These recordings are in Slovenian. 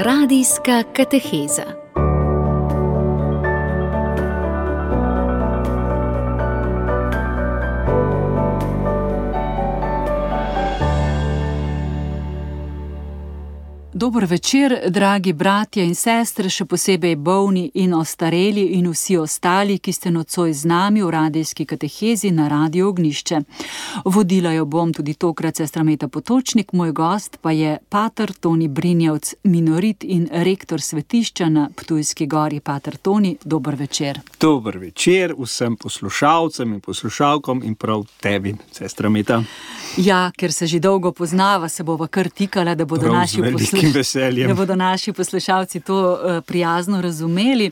Radijska kateheza. Dober večer, dragi bratje in sestre, še posebej bolni in ostareli in vsi ostali, ki ste nocoj z nami v radijski katehezi na Radio Ognjišče. Vodila jo bom tudi tokrat sestra Meta Potočnik, moj gost pa je pater Toni Brinjevc, minorit in rektor svetišča na Ptujski gori. Pater Toni, dober večer. Dober večer vsem poslušalcem in poslušalkom in prav tebi, sestra Meta. Ja, ker se že dolgo poznava, se bova kar tikala, da bodo naši poslušalci to prijazno razumeli.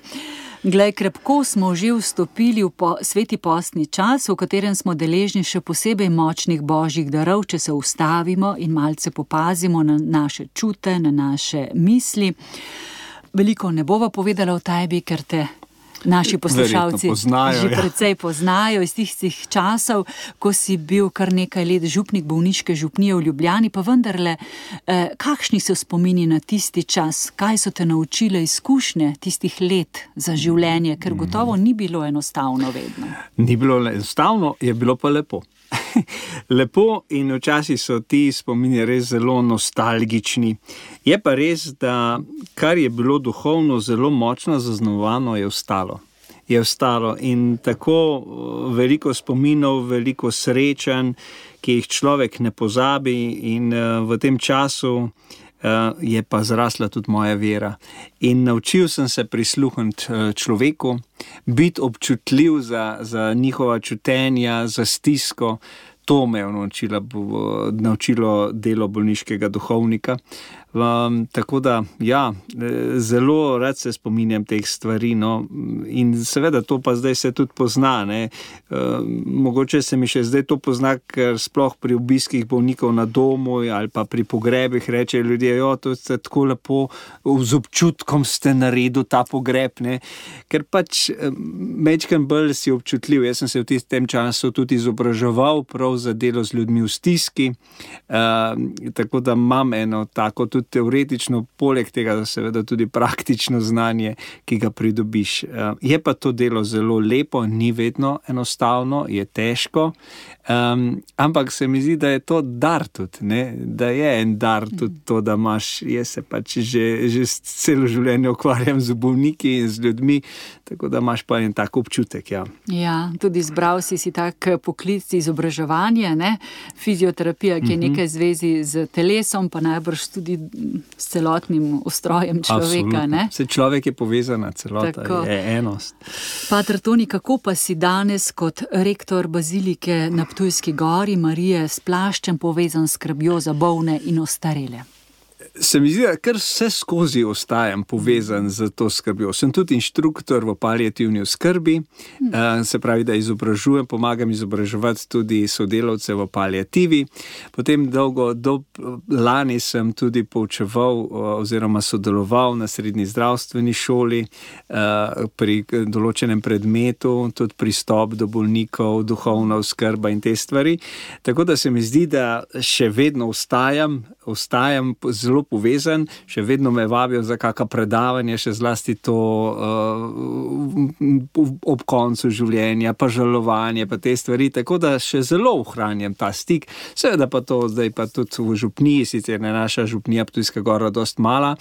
Glej, krepko smo že vstopili v sveti postni čas, v katerem smo deležni še posebej močnih božjih darov, če se ustavimo in malce popazimo na naše čute, na naše misli. Veliko ne bova povedala o tebi, ker te naši poslušalci že precej poznajo iz tistih časov, ko si bil kar nekaj let župnik bolniške župnije v Ljubljani, pa vendarle, kakšni so spomini na tisti čas? Kaj so te naučile izkušnje tistih let za življenje? Ker gotovo ni bilo enostavno vedno. Ni bilo enostavno, je bilo pa lepo. Lepo in včasih so ti spomini res zelo nostalgični. Je pa res, da kar je bilo duhovno zelo močno zaznamovano, je ostalo in tako veliko spominov, veliko srečanj, ki jih človek ne pozabi, in v tem času je pa zrasla tudi moja vera. In naučil sem se prisluhniti človeku, biti občutljiv za njihova čutenja, za stisko. To me je naučilo delo bolniškega duhovnika. Tako da, ja, zelo rad se spominjam teh stvari, no, in seveda to pa zdaj se tudi pozna, ne. Mogoče se mi še zdaj to pozna, ker sploh pri obiskih bolnikov na domu ali pa pri pogrebih rečejo ljudje, to ste tako lepo, z občutkom ste naredil ta pogreb, ne. Ker pač majčkeno bolj si občutljiv. Jaz sem se v tem času tudi izobraževal prav za delo z ljudmi v stiski, tako da imam eno tako tudi teoretično, poleg tega seveda tudi praktično znanje, ki ga pridobiš. Je pa to delo zelo lepo, ni vedno enostavno, je težko, ampak se mi zdi, da je to dar tudi, ne? Da je en dar tudi to, da imaš, jaz se pač že celo življenje ukvarjam z bolniki in z ljudmi, tako da imaš pa en tak občutek, ja. Ja, tudi izbral si tak poklic izobraževanja, ne? Fizioterapija, ki je nekaj zvezi z telesom, pa najbrž tudi s celotnim ustrojem človeka, ne? Vse človek je povezana, celota je enost. Pater Toni, kako pa si danes kot rektor bazilike na Ptujski gori Marije s plaščem povezan s skrbjo za bolne in ostarele? Se mi zdi, da kar vse skozi ostajam povezan z to skrbjo. Sem tudi inštruktor v paliativni oskrbi, se pravi, da izobražujem, pomagam izobraževati tudi sodelavce v paliativi. Potem lani sem tudi poučeval oziroma sodeloval na srednji zdravstveni šoli pri določenem predmetu, tudi pristop do bolnikov, duhovna oskrba in te stvari. Tako da se mi zdi, da še vedno ostajam zelo povezan, še vedno me vabijo za kakšno predavanje, še zlasti to ob koncu življenja, pa žalovanje, pa te stvari, tako da še zelo ohranjam ta stik. Seveda pa to zdaj pa tudi v župniji, sicer je naša župnija Ptujska gora dost mala,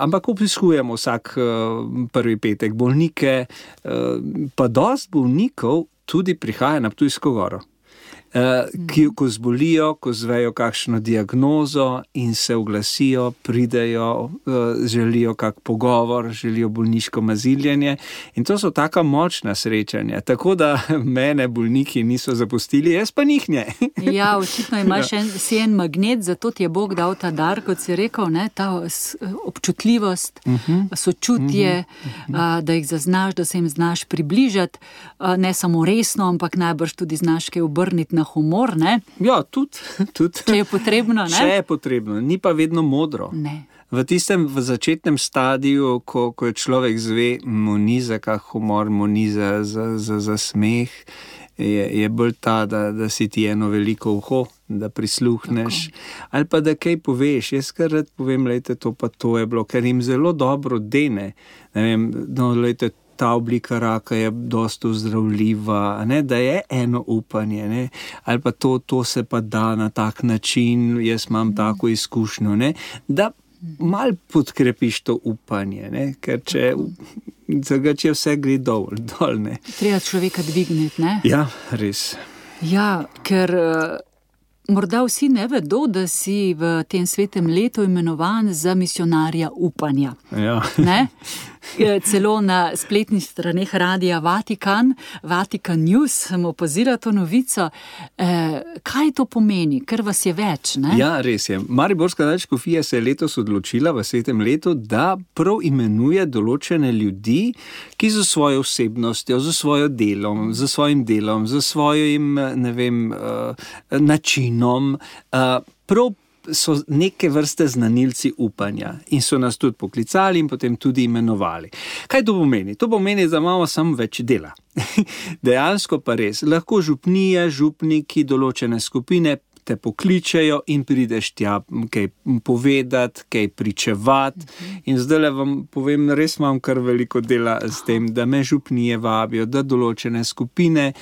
ampak obiskujemo vsak prvi petek bolnike, pa dost bolnikov tudi prihaja na Ptujsko goro. Ko zbolijo, ko zvejo kakšno diagnozo in se oglasijo, pridejo, želijo kak pogovor, želijo bolniško maziljenje, in to so taka močna srečanja, tako da mene bolniki niso zapustili, jaz pa njih ne. Ja, očitno imaš si en magnet, zato ti je Bog dal ta dar, kot si rekel, ne, ta občutljivost, sočutje, da jih zaznaš, da se jim znaš približati, ne samo resno, ampak najbrž tudi znaš kaj obrniti na humor, ne? Ja, tudi. Če je potrebno, ne? Če je potrebno, ni pa vedno modro. Ne. V začetnem stadiju, ko je človek zve, mu ni za kak humor, mu ni za smeh, je bolj ta, da si ti eno veliko uho da prisluhneš, ali pa da kaj poveš. Jaz kar rad povem, lejte, to pa to je bilo, ker jim zelo dobro dene. Ne vem, no, lejte, ta oblika raka je dosti ozdravljiva, ne, da je eno upanje, ne, ali pa to se pa da na tak način, jaz imam tako izkušnjo, ne, da malo podkrepiš to upanje, ne, ker če vse gre dol, ne. Treba človeka dvigniti, ne? Ja, res. Ja, ker morda vsi ne vedo, da si v tem svetem letu imenovan za misionarja upanja. Ja. Ne? Celo na spletnih straneh Radia Vatikan, Vatikan News, sem opazila to novico. Kaj to pomeni? Ker vas je več, ne? Ja, res je. Mariborska nadškofija se je letos odločila v svetem letu, da prav imenuje določene ljudi, ki z svojo osebnostjo, z svojim delom, z svojim, ne vem, načinom, prav so neke vrste znanilci upanja in so nas tudi poklicali in potem tudi imenovali. Kaj to pomeni? To pomeni, da imamo samo več dela. Dejansko pa res. Lahko župnije, župniki, določene skupine te pokličejo in prideš tja kaj povedati, kaj pričevati. In zdaj vam povem, res imam kar veliko dela s tem, da me župnije vabijo, da določene skupine,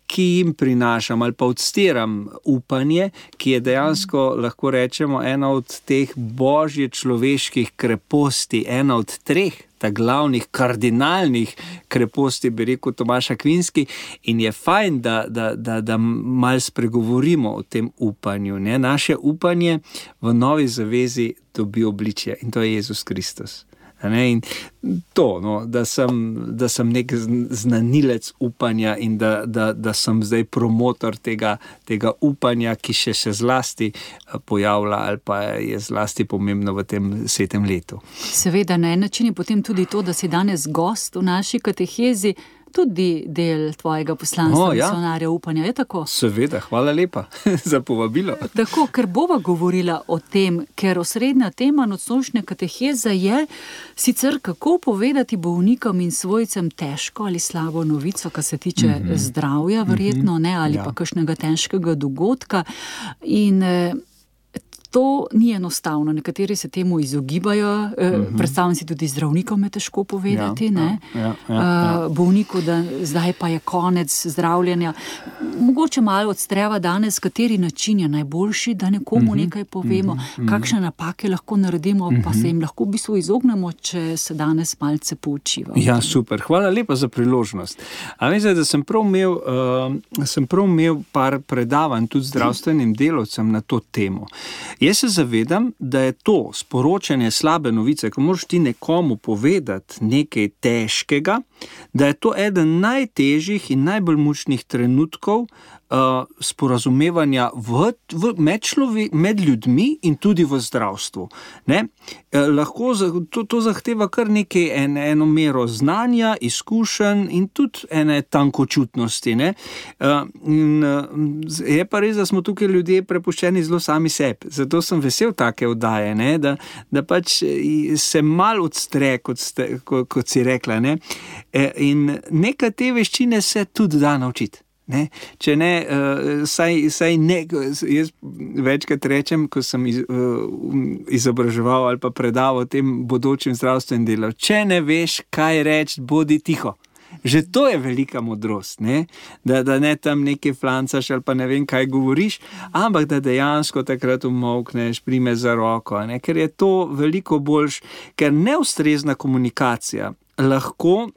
ki jim prinašam ali pa odstiram upanje, ki je dejansko, lahko rečemo, ena od teh božje človeških kreposti, ena od 3 glavnih, kardinalnih kreposti, bi rekel Tomaš Akvinski, in je fajn, da malo spregovorimo o tem upanju. Ne? Naše upanje v novi zavezi dobi obličje in to je Jezus Kristus. In to, no, da sem nek znanilec upanja in da sem zdaj promotor tega upanja, ki se zlasti pojavlja ali pa je zlasti pomembno v tem svetem letu. Seveda, na en način je potem tudi to, da si danes gost v naši katehezi, tudi del tvojega poslanstva, misionarja upanja, je tako? Seveda, hvala lepa za povabilo. Tako, ker bova govorila o tem, ker osrednja tema nocnočne kateheze je sicer kako povedati bolnikom in svojcem težko ali slabo novico, kar se tiče zdravja, verjetno, ne, ali pa kakšnega težkega dogodka. In to ni enostavno, nekateri se temu izogibajo, predstavljam si tudi zdravnikom je težko povedati, bolniku, da zdaj pa je konec zdravljenja. Mogoče malo odstreva danes, kateri način je najboljši, da nekomu nekaj povemo, kakšne napake lahko naredimo, pa se jim lahko v bistvu izognemo, če se danes malce poučimo. Ja, super, hvala lepa za priložnost. A mislim, da sem prav imel par predavanj tudi zdravstvenim delavcem na to temo. Jaz se zavedam, da je to sporočanje slabe novice, ko moraš ti nekomu povedati nekaj težkega, da je to eden najtežjih in najbolj mučnih trenutkov sporazumevanja med ljudmi in tudi v zdravstvu. Ne? Lahko to zahteva kar nekaj eno mero znanja, izkušenj in tudi ene tankočutnosti. Ne? Je pa res, da smo tukaj ljudje prepuščeni zelo sami sebi. Zato sem vesel take oddaje, ne? Da pač se malo odstre, kot si rekla. Ne? In neka te veščine se tudi da naučiti. Ne? Če ne, saj ne, jaz večkrat rečem, ko sem izobraževal ali pa predaval tem bodočim zdravstvenim delavcem, če ne veš, kaj reči, bodi tiho. Že to je velika modrost, ne? Da ne tam nekaj flancaš ali pa ne vem, kaj govoriš, ampak da dejansko takrat umolkneš, prime za roko, ne? Ker je to veliko boljš, ker neustrezna komunikacija lahko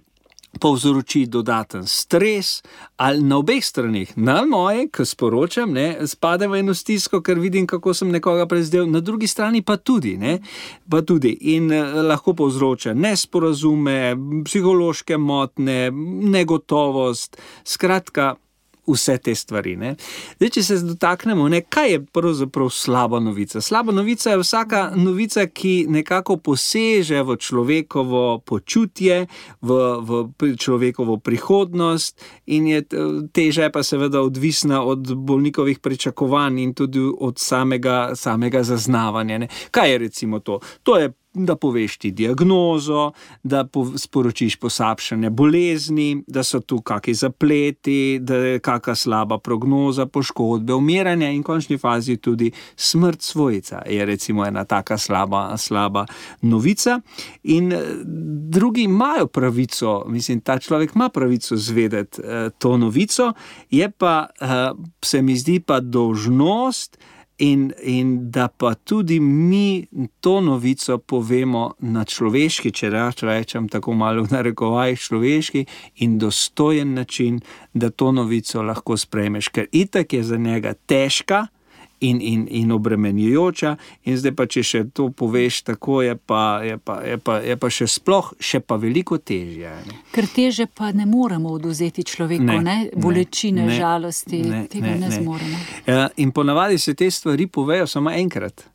povzroči dodaten stres ali na obeh stranih. Na moje, ko sporočam, ne, spada v eno stisko, ker vidim, kako sem nekoga prezdel, na drugi strani pa tudi, ne, pa tudi. In lahko povzroča nesporazume, psihološke motnje, negotovost, skratka, vse te stvari. Ne. Zdaj, če se dotaknemo, ne, kaj je pravzaprav slaba novica? Slaba novica je vsaka novica, ki nekako poseže v človekovo počutje, v človekovo prihodnost in je teža pa seveda odvisna od bolnikovih pričakovanj in tudi od samega zaznavanja. Ne. Kaj je recimo to? To je da poveš ti diagnozo, da sporočiš poslabšanje bolezni, da so tu kakšni zapleti, da je kakšna slaba prognoza, poškodbe, umiranje in v končni fazi tudi smrt svojca je recimo ena taka slaba novica. In drugi imajo pravico, mislim, ta človek ima pravico zvedeti to novico, je pa, se mi zdi pa dolžnost in da pa tudi mi to novico povemo na človeški, če rečem tako malo v narekovajih, človeški in dostojen način, da to novico lahko sprejmeš, ker itak je za njega težka in obremenjujoča, in zdaj pa, če še to poveš tako, je pa še pa veliko težje. Ker teže pa ne moremo odvzeti človeku, bolečine, žalosti, tega ne zmoremo. In ponavadi se te stvari povejo samo enkrat.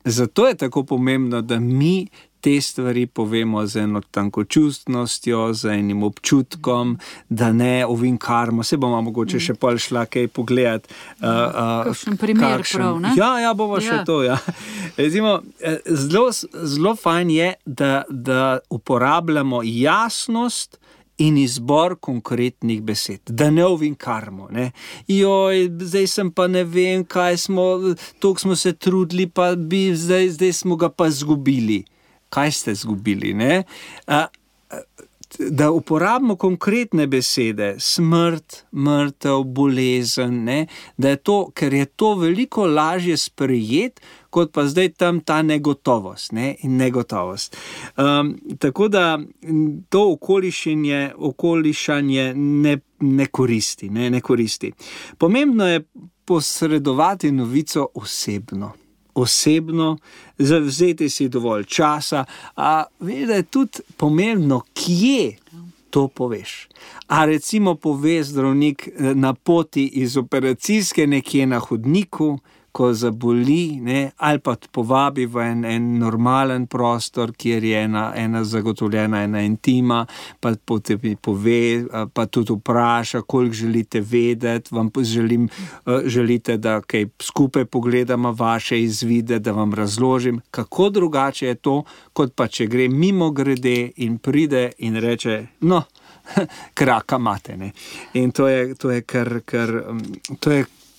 Zato je tako pomembno, da mi te stvari povemo z eno tankočustnostjo, z enim občutkom, da ne ovinkarmo. Se bomo mogoče še pol šla kaj pogledati. Kakšen primer prav, ne? Ja, bomo še to, ja. Recimo, zelo fajn je, da uporabljamo jasnost in izbor konkretnih besed, da ne ovinkarmo, ne. Joj, zdaj sem pa ne vem, toliko smo se trudili, pa zdaj smo ga pa zgubili. Kaj ste zgubili, ne? Da uporabimo konkretne besede, smrt, mrtev, bolezen, ne? Da je to, ker je to veliko lažje sprejeti, kot pa zdaj tam ta negotovost, ne? In negotovost. Tako da to okolišanje ne koristi. Pomembno je posredovati novico osebno, zavzeti si dovolj časa, a veš, da je tudi pomembno, kje to poveš. A recimo pove zdravnik na poti iz operacijske nekje na hodniku, ko zaboli, ne, ali pa povabi v en normalen prostor, kjer je ena zagotovljena, ena intima, pa potem pove, pa tudi vpraša, koliko želite vedeti, vam želite, da kaj skupaj pogledamo vaše izvide, da vam razložim, kako drugače je to, kot pa če gre mimo grede in pride in reče, no, kraka mate, ne. In to je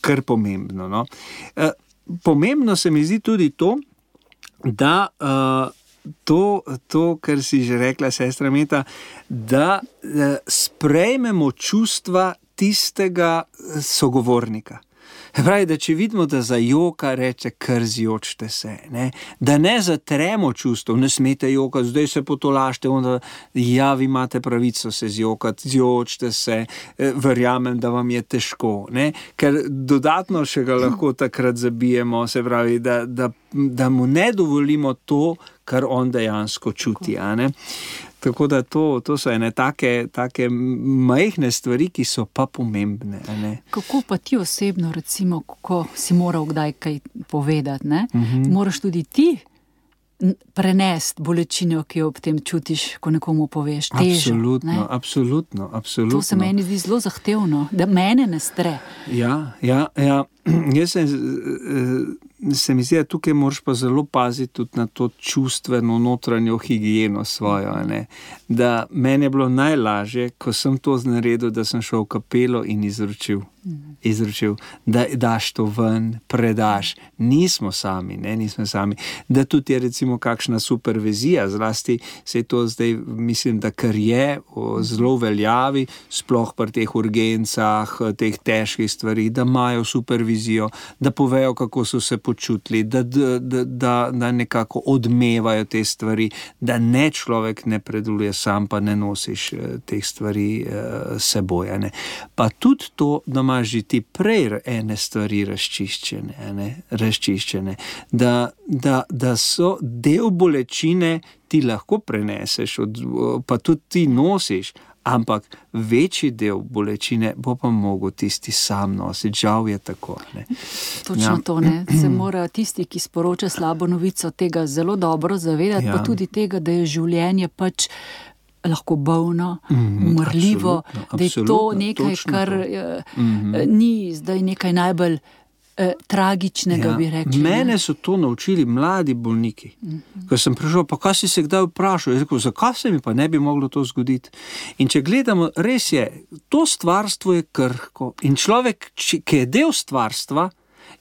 kar pomembno, no. Pomembno se mi zdi tudi to, da to, kar si že rekla, sestra Meta, da sprejmemo čustva tistega sogovornika. Pravi, da če vidimo, da zajoka, reče, kar zjočite se, ne? Da ne zatremo čustev, ne smete jokati, zdaj se potolažite, onda, ja, vi imate pravico se zjokati, zjočite se, verjamem, da vam je težko, ne? Ker dodatno še ga lahko takrat zabijemo, se pravi, da mu ne dovolimo to, kar on dejansko čuti, a ne? Tako da to so ene take majhne stvari, ki so pa pomembne. Ne? Kako pa ti osebno, recimo, ko si moral kdaj kaj povedati, ne? Moraš tudi ti prenesti bolečino, ki jo ob tem čutiš, ko nekomu poveš, težo. Absolutno. To se meni zdi zelo zahtevno, da mene ne stre. Ja. Jaz se mi zdi, da tukaj moraš pa zelo paziti tudi na to čustveno notranjo higieno svojo, ne? Da meni je bilo najlažje, ko sem to naredil, da sem šel v kapelo in izročil, da daš to ven, predaš. Nismo sami. Da tudi je recimo kakšna supervizija, zlasti se je to zdaj, mislim, da kar je zelo veljavi, sploh pri teh urgencah, teh težkih stvari, da imajo supervizijo, da povejo, kako so se počutili, da nekako odmevajo te stvari, da ne človek ne predeluje sam, pa ne nosiš teh stvari seboj. Ne? Pa tudi to, da imaš že ti prej ene stvari razčiščene, da so del bolečine ti lahko preneseš, pa tudi ti nosiš, ampak večji del bolečine bo pa mogel tisti sam nositi. Žal je tako. Ne? Točno to, ne. Se mora tisti, ki sporoča slabo novico, tega zelo dobro zavedati, pa tudi tega, da je življenje pač lahko bolno, umrljivo, da je to nekaj, kar ni zdaj nekaj najbolj tragičnega, bi rekli. Mene so to naučili mladi bolniki. Ko sem prišel, pa kaj si se kdaj vprašal? Jaz rekel, zakaj se mi pa ne bi moglo to zgoditi? In če gledamo, res je, to stvarstvo je krhko in človek, ki je del stvarstva,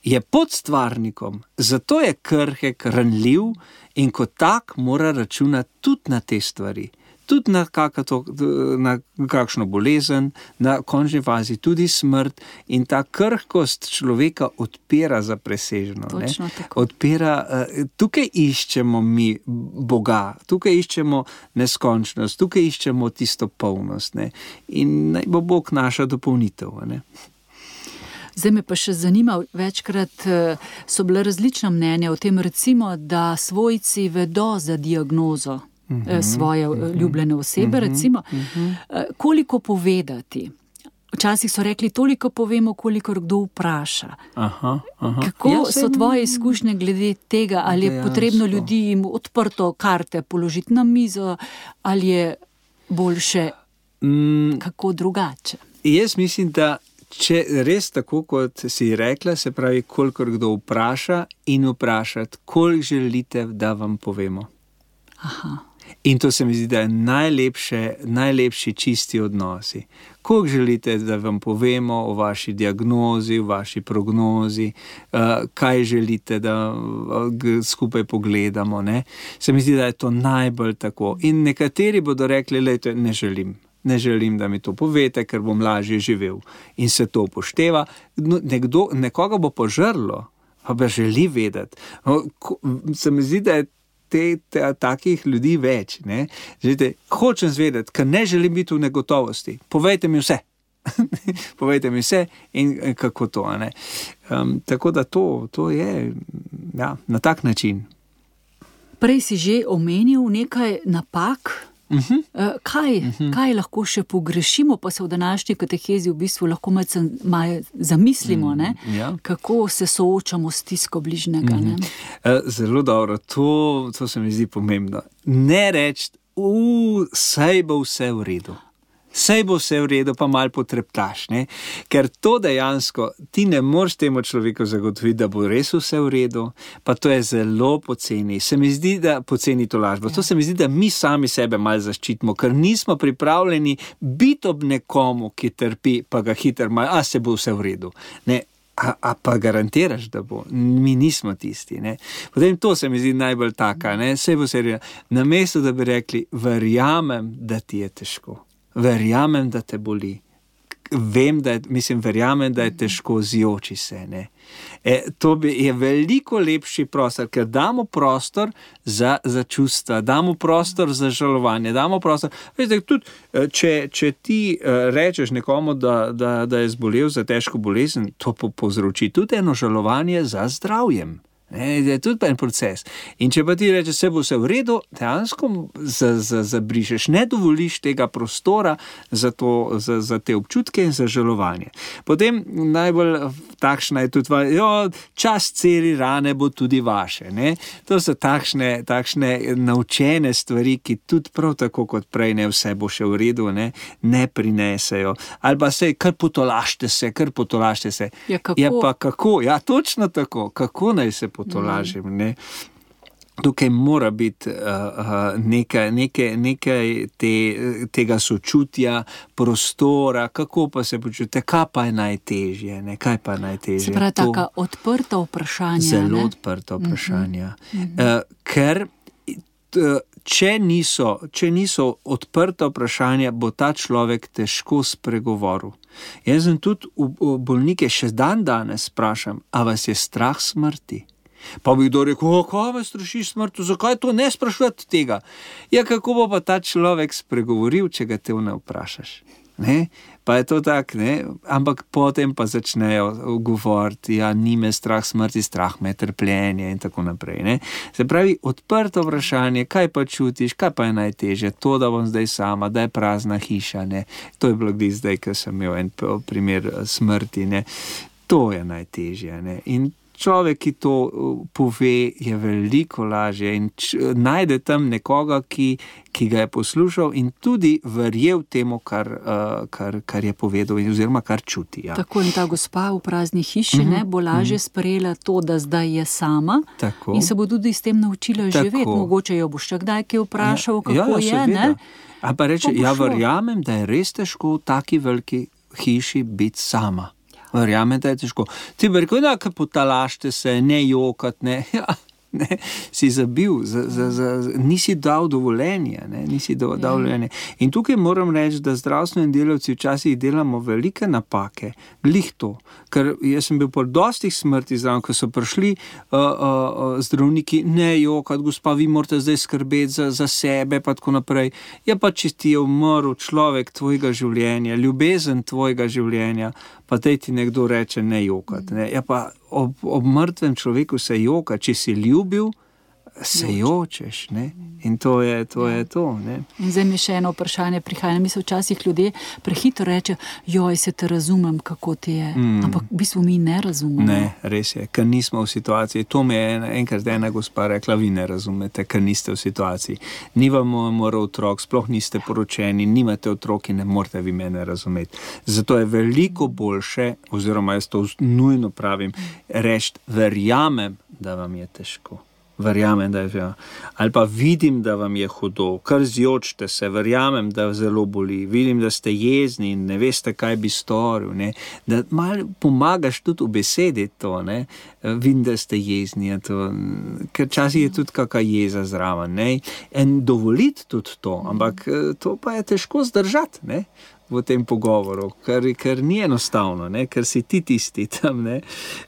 je pod stvarnikom, zato je krhek, ranljiv in kot tak mora računati tudi na te stvari. Tudi na kakšno bolezen, na končni fazi tudi smrt in ta krhkost človeka odpira za presežno. Odpira, tukaj iščemo mi Boga, tukaj iščemo neskončnost, tukaj iščemo tisto polnost. Ne? In naj bo Bog naša dopolnitev. Ne? Zdaj me pa še zanima, večkrat so bile različna mnenja o tem, recimo, da svojci vedo za diagnozo svoje ljubljene osebe, recimo, koliko povedati. Včasih so rekli, toliko povemo, koliko kdo vpraša. Kako so tvoje izkušnje glede tega, ali je potrebno ljudi jim odprto karte položiti na mizo, ali je boljše kako drugače? Jaz mislim, da če res tako, kot si rekla, se pravi, kolikor kdo vpraša in vprašati, koliko želite, da vam povemo. In to se mi zdi, da je najlepši čisti odnosi. Koliko želite, da vam povemo o vaši diagnozi, o vaši prognozi, kaj želite, da skupaj pogledamo. Ne? Se mi zdi, da je to najbolj tako. In nekateri bodo rekli, lejte, ne želim, da mi to povete, ker bom lažje živel. In se to upošteva. Nekoga bo požrlo, pa bi želi vedeti. Se mi zdi, da je takih ljudi več. Ne? Želite, hočem zvedeti, ker ne želim biti v negotovosti. Povejte mi vse. Povejte mi vse in kako to. Ne? Tako da to je na tak način. Prej si že omenil nekaj napak. Kaj lahko še pogrešimo, pa se v današnji katehezi v bistvu lahko malo zamislimo, kako se soočamo s stisko bližnjega. Zelo dobro, to se mi zdi pomembno. Ne reči, saj bo vse v redu. Saj bo vse v redu, pa malo potreptaš, ne? Ker to dejansko ti ne moreš temu človeku zagotoviti, da bo res vse v redu, pa to je zelo poceni. Se mi zdi, da poceni to lažbo. To se mi zdi, da mi sami sebe malo zaščitimo, ker nismo pripravljeni biti ob nekomu, ki trpi, pa ga hitro malo, se bo vse v redu. Ne? A pa garantiraš, da bo. Mi nismo tisti. Ne? Potem to se mi zdi najbolj taka. Ne? Saj bo se redo. Namesto, da bi rekli, verjamem, da ti je težko. Verjamem, da te boli. Verjamem, da je težko zjoči se. Ne? To je veliko lepši prostor, ker damo prostor za čustva, damo prostor za žalovanje, damo prostor. Veste, tudi, če ti rečeš nekomu, da je zbolel za težko bolezen, to povzroči tudi eno žalovanje za zdravjem. Je tudi en proces. In če pa ti rečeš, se bo vse v redu, dejansko zabrišeš, ne dovoliš tega prostora za te občutke in za žalovanje. Potem najbolj takšna je tudi čas celi rane bo tudi vaše. Ne? To so takšne naučene stvari, ki tudi prav tako kot prej ne vse bo še v redu, ne prinesejo. Ali pa se, kar potolažite se. Ja, kako? Ja, pa kako? Ja, točno tako. Kako naj se potolažim, ne? Tukaj mora biti nekaj tega sočutja, prostora, kako pa se počutite, kaj pa je najtežje, ne? Kaj pa je najtežje? Se pravi, taka odprta vprašanja. Zelo odprta vprašanja. Ker če niso odprta vprašanja, bo ta človek težko spregovoril. Jaz sem tudi bolnike še danes sprašam, a vas je strah smrti? Pa bi kdo rekel, kaj vas straši smrti, zakaj to ne sprašujete tega? Ja, kako bo pa ta človek spregovoril, če ga te ne vprašaš? Ne? Pa je to tak, ne? Ampak potem pa začnejo govoriti, ni me strah smrti, strah me trpljenje in tako naprej. Ne? Se pravi, odprto vprašanje, kaj pa čutiš, kaj pa je najtežje, to, da bom zdaj sama, da je prazna hiša, ne? To je bilo zdaj, ko sem imel en primer smrti, ne? To je najtežje. Ne? In človek, ki to pove, je veliko lažje in najde tam nekoga, ki ga je poslušal in tudi verjel temu, kar je povedal oziroma kar čuti. Ja. Tako in ta gospa v prazni hiši bo lažje sprejela to, da zdaj je sama in se bo tudi s tem naučila živeti. Mogoče jo boš še kdaj kaj vprašal, kako je, ne? A pa reče, verjamem, da je res težko v taki veliki hiši biti sama. Verjamem, da je težko. Ti bi rekel, da potalašte se, ne jokat, ne, si zabil, nisi dal dovoljenja, In tukaj moram reči, da zdravstveni delavci včasih delamo velike napake, glih to, ker jaz sem bil po dostih smrti zraven, ko so prišli zdravniki, ne jokat, gospa, vi morate zdaj skrbeti za sebe, pa tako naprej. Ja, pa če ti je umrl človek tvojega življenja, ljubezen tvojega življenja, pa tej ti nekdo reče ne jokat. Ne? Ja, pa ob mrtvem človeku se joka, če si ljubil, se jočeš. Ne? In to je to. Ne? In zdaj mi še eno vprašanje prihaja. Mi se včasih ljudje prehitro reče, joj, se te razumem, kako ti je. Ampak v bistvu mi ne razumemo. Ne, res je, ker nismo v situaciji. To mi je enkrat ena gospa rekla, vi ne razumete, ker niste v situaciji. Ni vam moral otrok, sploh niste poročeni, nimate otroki, ne morate vi mene razumeti. Zato je veliko boljše, oziroma jaz to nujno pravim, reči, verjamem, da vam je težko. Verjamem, da je, ali pa vidim, da vam je hudo, kar zjočite se, verjamem, da zelo boli, vidim, da ste jezni in ne veste, kaj bi storil, ne? Da malo pomagaš tudi v besedi to, ne? Vidim, da ste jezni, to, ker časih je tudi kakšna jeza zraven, ne? In dovoliti tudi to, ampak to pa je težko zdržati, ne? V tem pogovoru, ker ni enostavno, ne? Ker si ti tisti tam. Ne?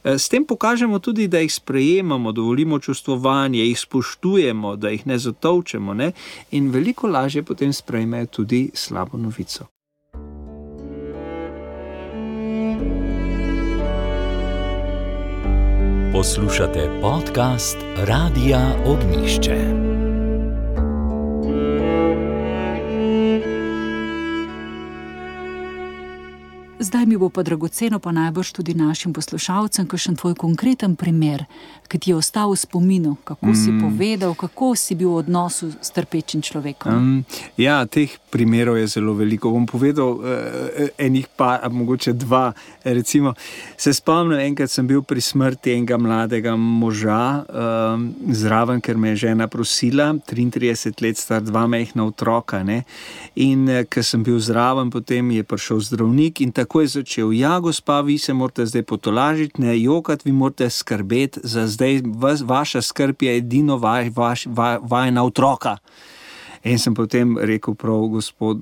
S tem pokažemo tudi, da jih sprejemamo, dovolimo čustvovanje, jih spoštujemo, da jih ne zatolčemo, ne? In veliko lažje potem sprejmejo tudi slabo novico. Poslušate podcast Radia Ognjišče. Zdaj mi bo pa dragoceno, pa najbrž tudi našim poslušalcem, kakšen tvoj konkreten primer, ki ti je ostal v spominu, kako si povedal, kako si bil v odnosu s trpečim človekom. Ja, teh primerov je zelo veliko. Bom povedal enih pa, mogoče dva. Recimo, se spomnim, enkrat sem bil pri smrti enega mladega moža zraven, ker me je žena prosila, 33 let star, 2 majhna otroka, ne? In ker sem bil zraven, potem je prišel zdravnik in tako je začel, ja, gospa, vi se morate zdaj potolažiti, ne jokati, vi morate skrbeti za zdaj, vaša skrb je edino vajna otroka. In sem potem rekel prav,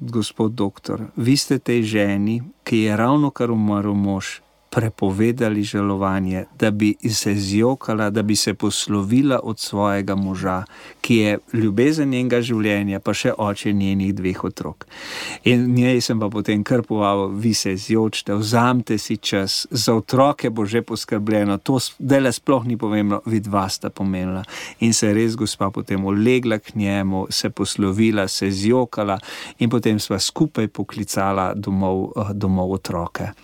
gospod doktor, vi ste tej ženi, ki je ravno kar umrl mož, prepovedali žalovanje, da bi se zjokala, da bi se poslovila od svojega moža, ki je ljubezen njenega življenja, pa še oče njenih 2 otrok. In njej sem pa potem kar povabil, vi se zjočite, vzamite si čas, za otroke bo že poskrbljeno, to dele sploh ni pomembno, vidva sta pomenila. In se je res gospa potem ulegla k njemu, se poslovila, se zjokala in potem sva skupaj poklicala domov otroke.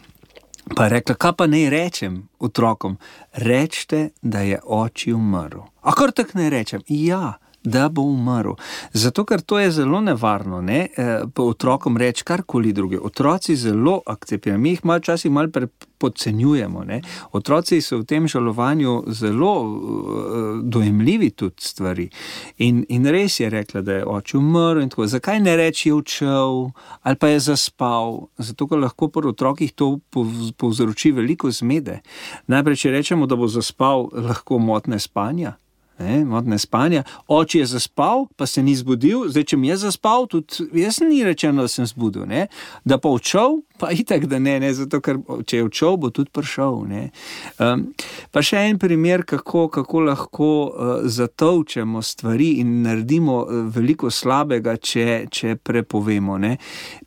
Pa je rekla, kaj pa naj rečem otrokom? Rečite, da je oči umrl. A kar tak naj rečem? Ja, da bo umrl. Zato, ker to je zelo nevarno, ne? Pa otrokom reči karkoli druge. Otroci zelo akceptirajo. Mi jih včasih malo podcenjujemo, ne? Otroci so v tem žalovanju zelo dojemljivi tudi stvari. In res je rekla, da je oče umrl in tako. Zakaj ne reči je odšel ali pa je zaspal? Zato, ker lahko pri otrokih to povzroči veliko zmede. Najprej, če rečemo, da bo zaspal, lahko motne spanja. Motne spanja. Oče je zaspal, pa se ni zbudil. Zdaj, če mi je zaspal, tudi jaz ni rečeno, da sem zbudil. Ne? Da pa odšel, pa itak, da ne. Zato, ker če je odšel, bo tudi prišel. Ne? Pa še en primer, kako lahko zatolčemo stvari in naredimo veliko slabega, če prepovemo. Ne?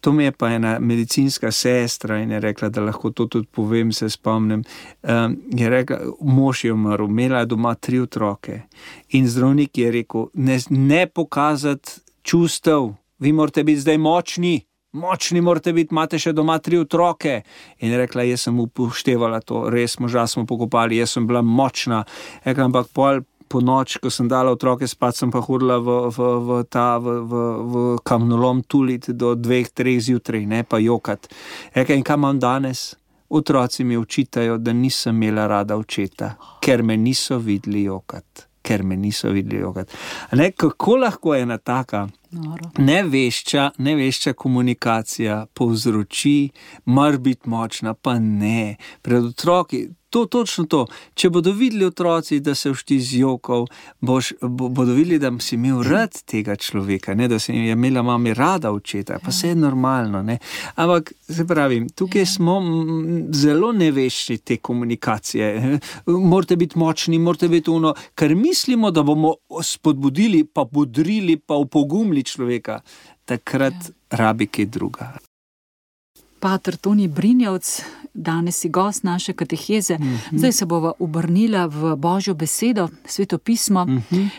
To mi je pa ena medicinska sestra in je rekla, da lahko to tudi povem, se spomnim. Je rekla, mož je umrl, imela je doma 3 otroke. In zdravnik je rekel, ne pokazati čustev, vi morate biti zdaj močni, močni morate biti, imate še doma 3 otroke. In rekla, jaz sem upoštevala to, res moža smo pokopali, jaz sem bila močna. Rekla, ampak po noč, ko sem dala otroke spat, sem pa hodila v kamnolom tuliti do 2-3 zjutraj, ne pa jokat. Rekla, in kaj imam danes? Otroci mi očitajo, da nisem imela rada očeta, ker me niso videli jokat. Kako lahko ena taka nevešča komunikacija povzroči, mar biti močna, pa ne. Pred otroki, točno to. Če bodo videli otroci, da se všti z jokov, bodo videli, da si imel rad tega človeka, ne? Da si imela mami rada očeta, pa vse je normalno. Ne? Ampak, se pravi, tukaj smo zelo nevešči te komunikacije. Morate biti močni, morate biti ker mislimo, da bomo spodbudili, pa bodrili, pa upogumili človeka. Takrat rabi kaj druga. Pater Toni Brinjevc, danes si gost naše kateheze. Zdaj se bova obrnila v Božjo besedo, Sveto pismo,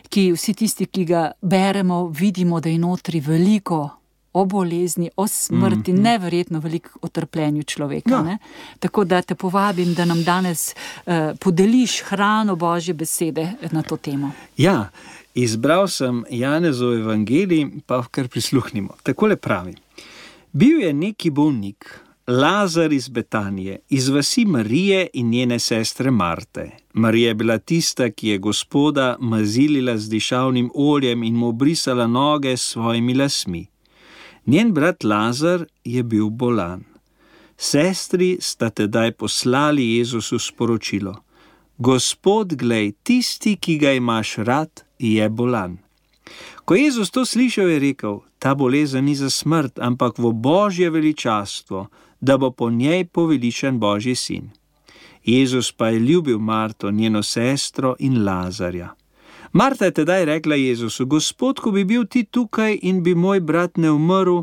ki vsi tisti, ki ga beremo, vidimo, da je notri veliko o bolezni, o smrti, neverjetno veliko o trpljenju človeka. Ne? Tako da te povabim, da nam danes podeliš hrano Božje besede na to temo. Ja, izbral sem Janezov evangelij, pa kar prisluhnimo. Takole pravi. Bil je neki bolnik, Lazar iz Betanije, iz vasi Marije in njene sestre Marte. Marija je bila tista, ki je Gospoda mazilila z dišavnim oljem in mu obrisala noge s svojimi lasmi. Njen brat Lazar je bil bolan. Sestri sta tedaj poslali Jezusu sporočilo. Gospod, glej, tisti, ki ga imaš rad, je bolan. Ko Jezus to slišal, je rekel, ta bolezen ni za smrt, ampak v Božje veličastvo, da bo po njej poveličan Božji sin. Jezus pa je ljubil Marto, njeno sestro in Lazarja. Marta je tedaj rekla Jezusu, Gospod, ko bi bil ti tukaj in bi moj brat ne umrl,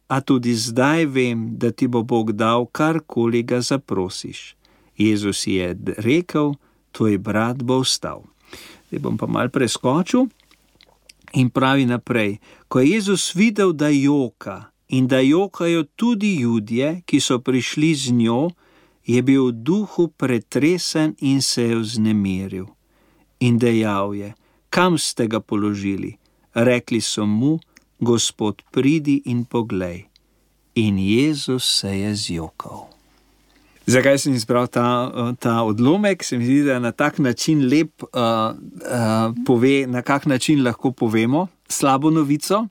a tudi zdaj vem, da ti bo Bog dal, karkoli ga zaprosiš. Jezus je rekel, tvoj brat bo vstal. Zdaj bom pa malo preskočil. In pravi naprej, ko je Jezus videl, da joka in da jokajo tudi Judje, ki so prišli z njo, je bil v duhu pretresen in se je vznemiril. In dejal je, kam ste ga položili? Rekli so mu, Gospod, pridi in poglej. In Jezus se je zjokal. Zakaj sem izbral ta odlomek? Se mi zdi, da na tak način lep pove, na kak način lahko povemo slabo novico.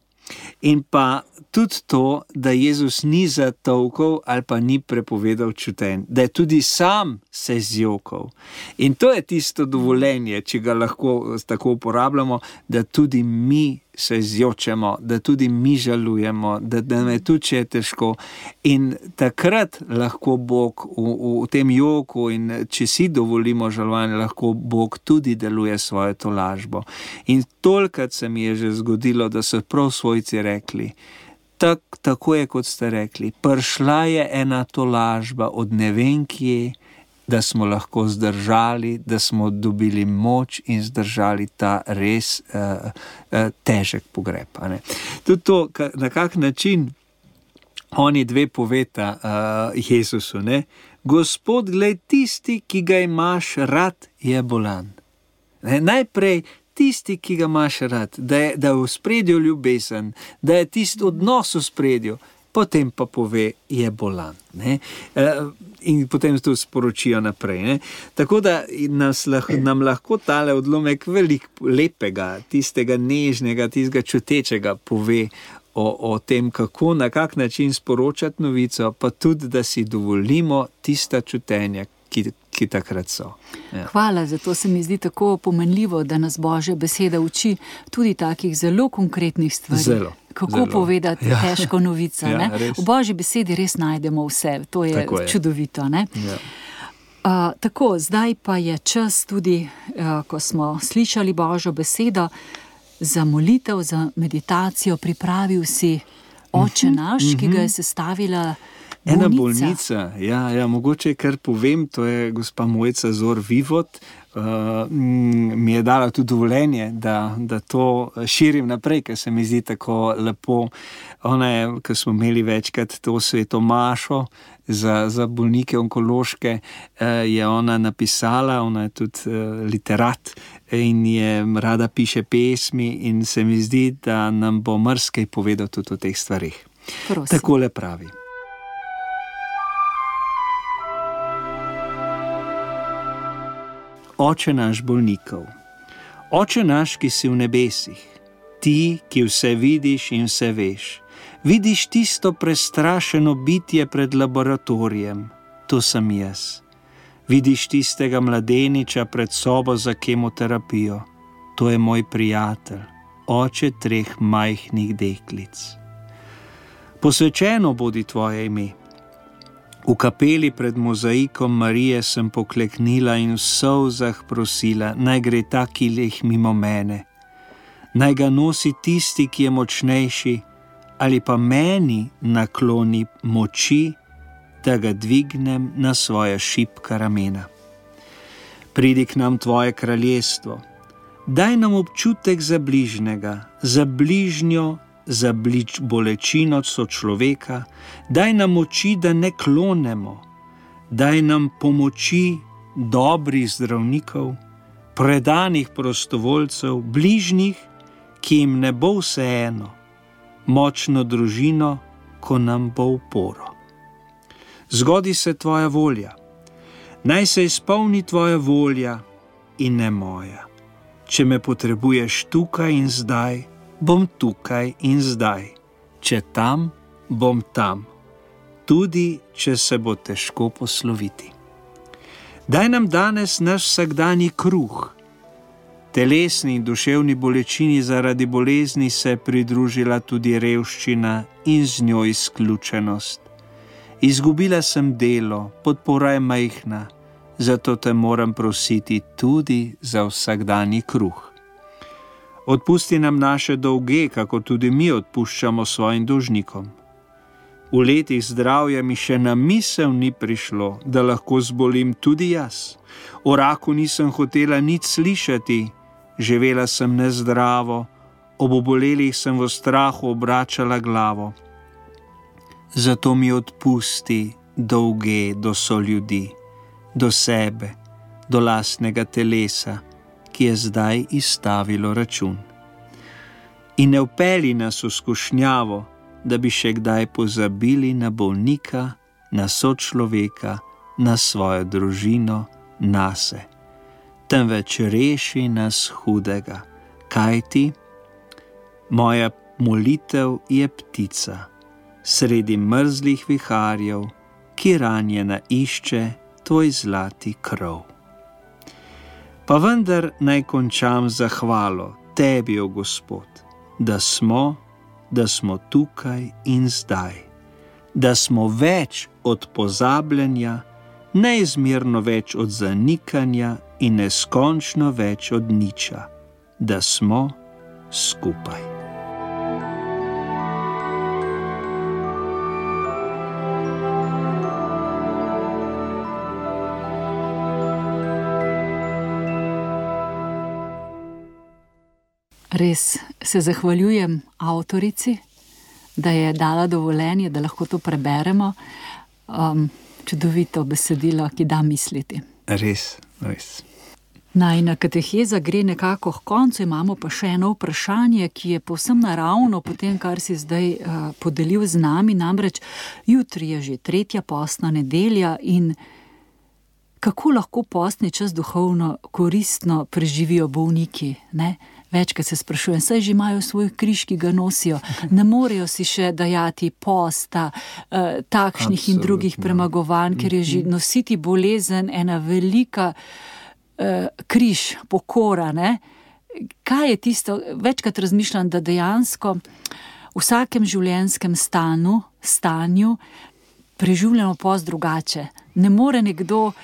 In pa tudi to, da Jezus ni zatolkal ali pa ni prepovedal čutenj, da je tudi sam se zjokal. In to je tisto dovoljenje, če ga lahko tako uporabljamo, da tudi mi se zjočemo, da tudi mi žalujemo, da nam je tudi, če je težko. In takrat lahko Bog v tem joku in če si dovolimo žalovanje, lahko Bog tudi deluje svojo tolažbo. In tolikrat se mi je že zgodilo, da so prav svojci rekli, tako je, kot ste rekli, prišla je ena tolažba od ne vem kje, da smo lahko zdržali, da smo dobili moč in zdržali ta res težek pogreb. Tudi to, na kak način oni dve poveta Jezusu, ne? Gospod, glej, tisti, ki ga imaš rad, je bolan. Najprej tisti, ki ga imaš rad, da je v spredju ljubezen, da je tisti odnos v spredju, potem pa pove, je bolan. Ne? In potem to sporočijo naprej. Ne? Tako da nam lahko tale odlomek veliko lepega, tistega nežnega, tistega čutečega pove o tem, kako, na kak način sporočati novico, pa tudi, da si dovolimo tista čutenja, ki takrat so. Ja. Hvala, zato se mi zdi tako pomenljivo, da nas Božja beseda uči tudi takih zelo konkretnih stvari. Kako povedati težko novico. Ja, v Božji besedi res najdemo vse. To je čudovito. Ne? Ja. Tako, zdaj pa je čas tudi, ko smo slišali Božjo besedo, za molitev, za meditacijo. Pripravil si Oče naš, ki ga je sestavila Ena bolnica, ja, mogoče kar povem, to je gospa Mojca Zor-Vivot, mi je dala tudi dovoljenje, da to širim naprej, ker se mi zdi tako lepo. Ona je, ko smo imeli večkrat to sveto mašo za bolnike onkološke, je ona napisala, ona je tudi literat in je rada piše pesmi in se mi zdi, da nam bo marsikaj povedal tudi o teh stvarih. Prosim. Takole pravi. Oče naš bolnikov, Oče naš, ki si v nebesih, ti, ki vse vidiš in vse veš, vidiš tisto prestrašeno bitje pred laboratorijem, to sem jaz. Vidiš tistega mladeniča pred sobo za kemoterapijo, to je moj prijatelj, oče 3 majhnih deklic. Posvečeno bodi tvoje ime. V kapeli pred mozaikom Marije sem pokleknila in v solzah prosila, naj gre ta kilih mimo mene. Naj ga nosi tisti, ki je močnejši, ali pa meni nakloni moči, da ga dvignem na svoja šibka ramena. Pridi k nam tvoje kraljestvo. Daj nam občutek za bližnjega, za bližnjo, za bolečino sočloveka, daj nam moči, da ne klonemo, daj nam pomoči dobrih zdravnikov, predanih prostovoljcev, bližnjih, ki jim ne bo vseeno, močno družino, ko nam bo uporo. Zgodi se tvoja volja, naj se izpolni tvoja volja in ne moja. Če me potrebuješ tukaj in zdaj, bom tukaj in zdaj, če tam, bom tam, tudi če se bo težko posloviti. Daj nam danes naš vsakdanji kruh. Telesni in duševni bolečini zaradi bolezni se je pridružila tudi revščina in z njo izključenost. Izgubila sem delo, podpora je majhna, zato te moram prositi tudi za vsakdanji kruh. Odpusti nam naše dolge, kako tudi mi odpuščamo svojim dolžnikom. V letih zdravja mi še na misel ni prišlo, da lahko zbolim tudi jaz. O raku nisem hotela nič slišati, živela sem nezdravo, ob obolelih sem v strahu obračala glavo. Zato mi odpusti dolge do soljudi, do sebe, do lastnega telesa, ki je zdaj izstavilo račun. In ne vpelji nas v skušnjavo, da bi še kdaj pozabili na bolnika, na sočloveka, na svojo družino, nase. Temveč reši nas hudega, kajti moja molitev je ptica, sredi mrzlih viharjev, ki ranjena išče tvoj zlati krov. Pa vendar naj končam zahvalo tebi, o Gospod, da smo tukaj in zdaj, da smo več od pozabljanja, neizmerno več od zanikanja in neskončno več od niča, da smo skupaj. Res se zahvaljujem avtorici, da je dala dovoljenje, da lahko to preberemo. Čudovito besedilo, ki da misliti. Res. Najina kateheza gre nekako k koncu, imamo pa še eno vprašanje, ki je povsem naravno po tem, kar si zdaj podelil z nami. Namreč jutri je že 3. postna nedelja in kako lahko postni čas duhovno koristno preživijo bolniki, ne? Večkrat se sprašujem, saj že imajo svoj križ, ki ga nosijo, ne morejo si še dajati posta, takšnih in drugih premagovanj, ker je že nositi bolezen ena velika križ, pokora, ne? Kaj je tisto, večkrat razmišljam, da dejansko v vsakem življenjskem stanju preživljamo post drugače. Ne more nekdo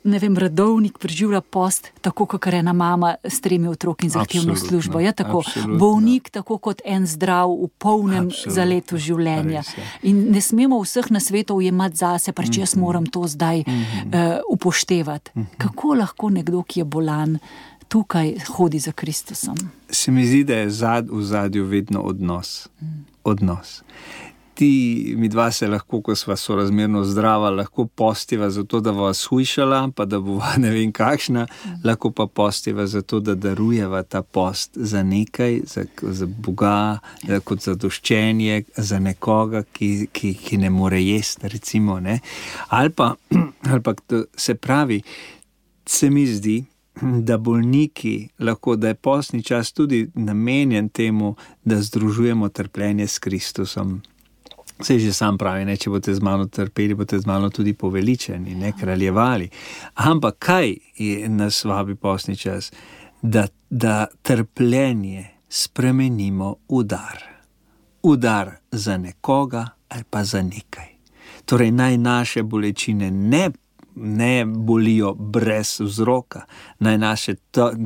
redovnik preživlja post, tako kot ena mama s 3 otroki in zahtevno službo. Je tako, bolnik tako kot en zdrav v polnem zaletu življenja. In ne smemo vseh nasvetov jemati zase, pač jaz moram to zdaj upoštevati. Kako lahko nekdo, ki je bolan, tukaj hodi za Kristusom? Se mi zdi, da je v zadju vedno odnos. Odnos. Mi dva se lahko, ko sva sorazmerno zdrava, lahko postiva zato, da bova shujšala, pa da bova ne vem kakšna, lahko pa postiva zato, da darujeva ta post za nekaj, za Boga, kot zadoščenje, za nekoga, ki ne more jesti, recimo, ne. Ali pa se pravi, se mi zdi, da bolniki lahko, da je postni čas tudi namenjen temu, da združujemo trpljenje s Kristusom. Saj že sam pravi, ne, če boste z mano trpeli, boste z mano tudi poveličeni, ne, kraljevali. Ampak kaj nas vabi postni čas? Da trpljenje spremenimo v dar. V dar za nekoga ali pa za nekaj. Torej naj naše bolečine ne bolijo brez vzroka, naj naše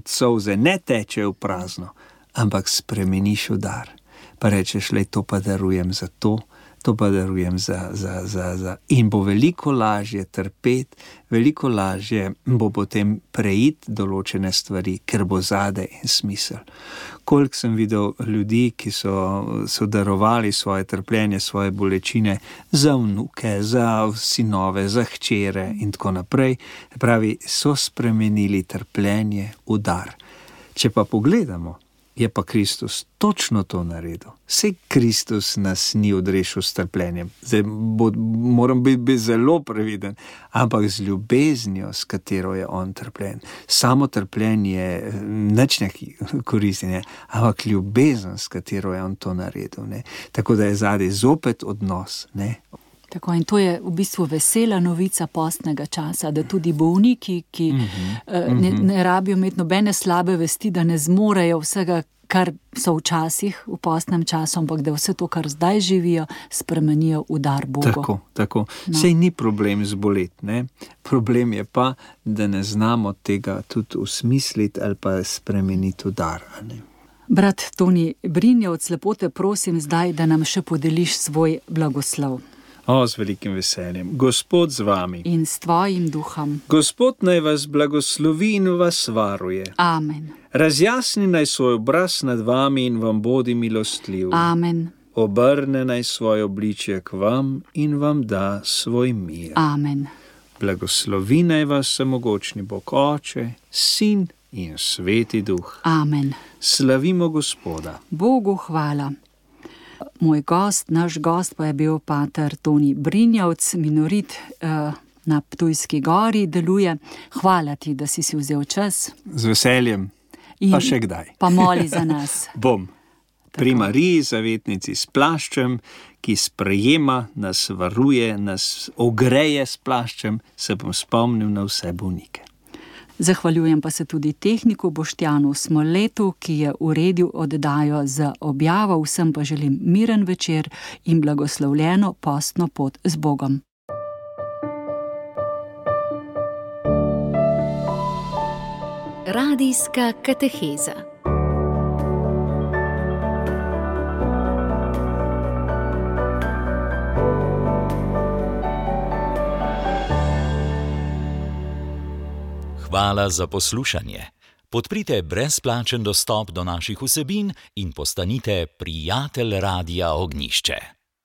solze ne tečejo v prazno, ampak spremeniš v dar. Pa rečeš, lej, to pa darujem za to pa darujem za. In bo veliko lažje trpeti, veliko lažje bo potem preiti določene stvari, ker bo zadaj in smisel. Koliko sem videl ljudi, ki so darovali svoje trpljenje, svoje bolečine za vnuke, za sinove, za hčere in tako naprej. Pravi, so spremenili trpljenje v dar. Če pa pogledamo, je pa Kristus točno to naredil. Saj Kristus nas ni odrešil s trpljenjem. Zdaj moram biti zelo previden, ampak z ljubeznijo, s katero je on trpljen. Samo trpljenje nič ne koristi, ne? Ampak ljubezen, s katero je on to naredil. Ne? Tako da je zadaj zopet odnos. Ne? Tako, in to je v bistvu vesela novica postnega časa, da tudi bolniki, ki ne rabijo imeti nobene slabe vesti, da ne zmorejo vsega, kar so včasih v postnem času, ampak da vse to, kar zdaj živijo, spremenijo v dar Bogu. Tako. No. Sej ni problem zboleti, ne? Problem je pa, da ne znamo tega tudi usmisliti ali pa spremeniti v dar, ne? Brat Toni Brinjevc, lepo te prosim zdaj, da nam še podeliš svoj blagoslov. Z velikim veseljem. Gospod z vami. In s tvojim duhom. Gospod naj vas blagoslovi in vas varuje. Amen. Razjasni naj svoj obraz nad vami in vam bodi milostljiv. Amen. Obrne naj svoje obličje k vam in vam da svoj mir. Amen. Blagoslovi naj vas vsemogočni Bog Oče, Sin in Sveti Duh. Amen. Slavimo Gospoda. Bogu hvala. Naš gost pa je bil pater Toni Brinjevc, minorit na Ptujski gori deluje. Hvala ti, da si vzel čas. Z veseljem, pa še kdaj. Pa moli za nas. Bom. Pri Mariji, zavetnici s plaščem, ki sprejema, nas varuje, nas ogreje s plaščem, se bom spomnil na vse bolnike. Zahvaljujem pa se tudi tehniku Boštjanu Smoletu, ki je uredil oddajo z objavo. Vsem pa želim miren večer in blagoslovljeno postno pot z Bogom. Radijska kateheza. Hvala za poslušanje. Podprite brezplačen dostop do naših vsebin in postanite prijatelj Radia Ognjišče.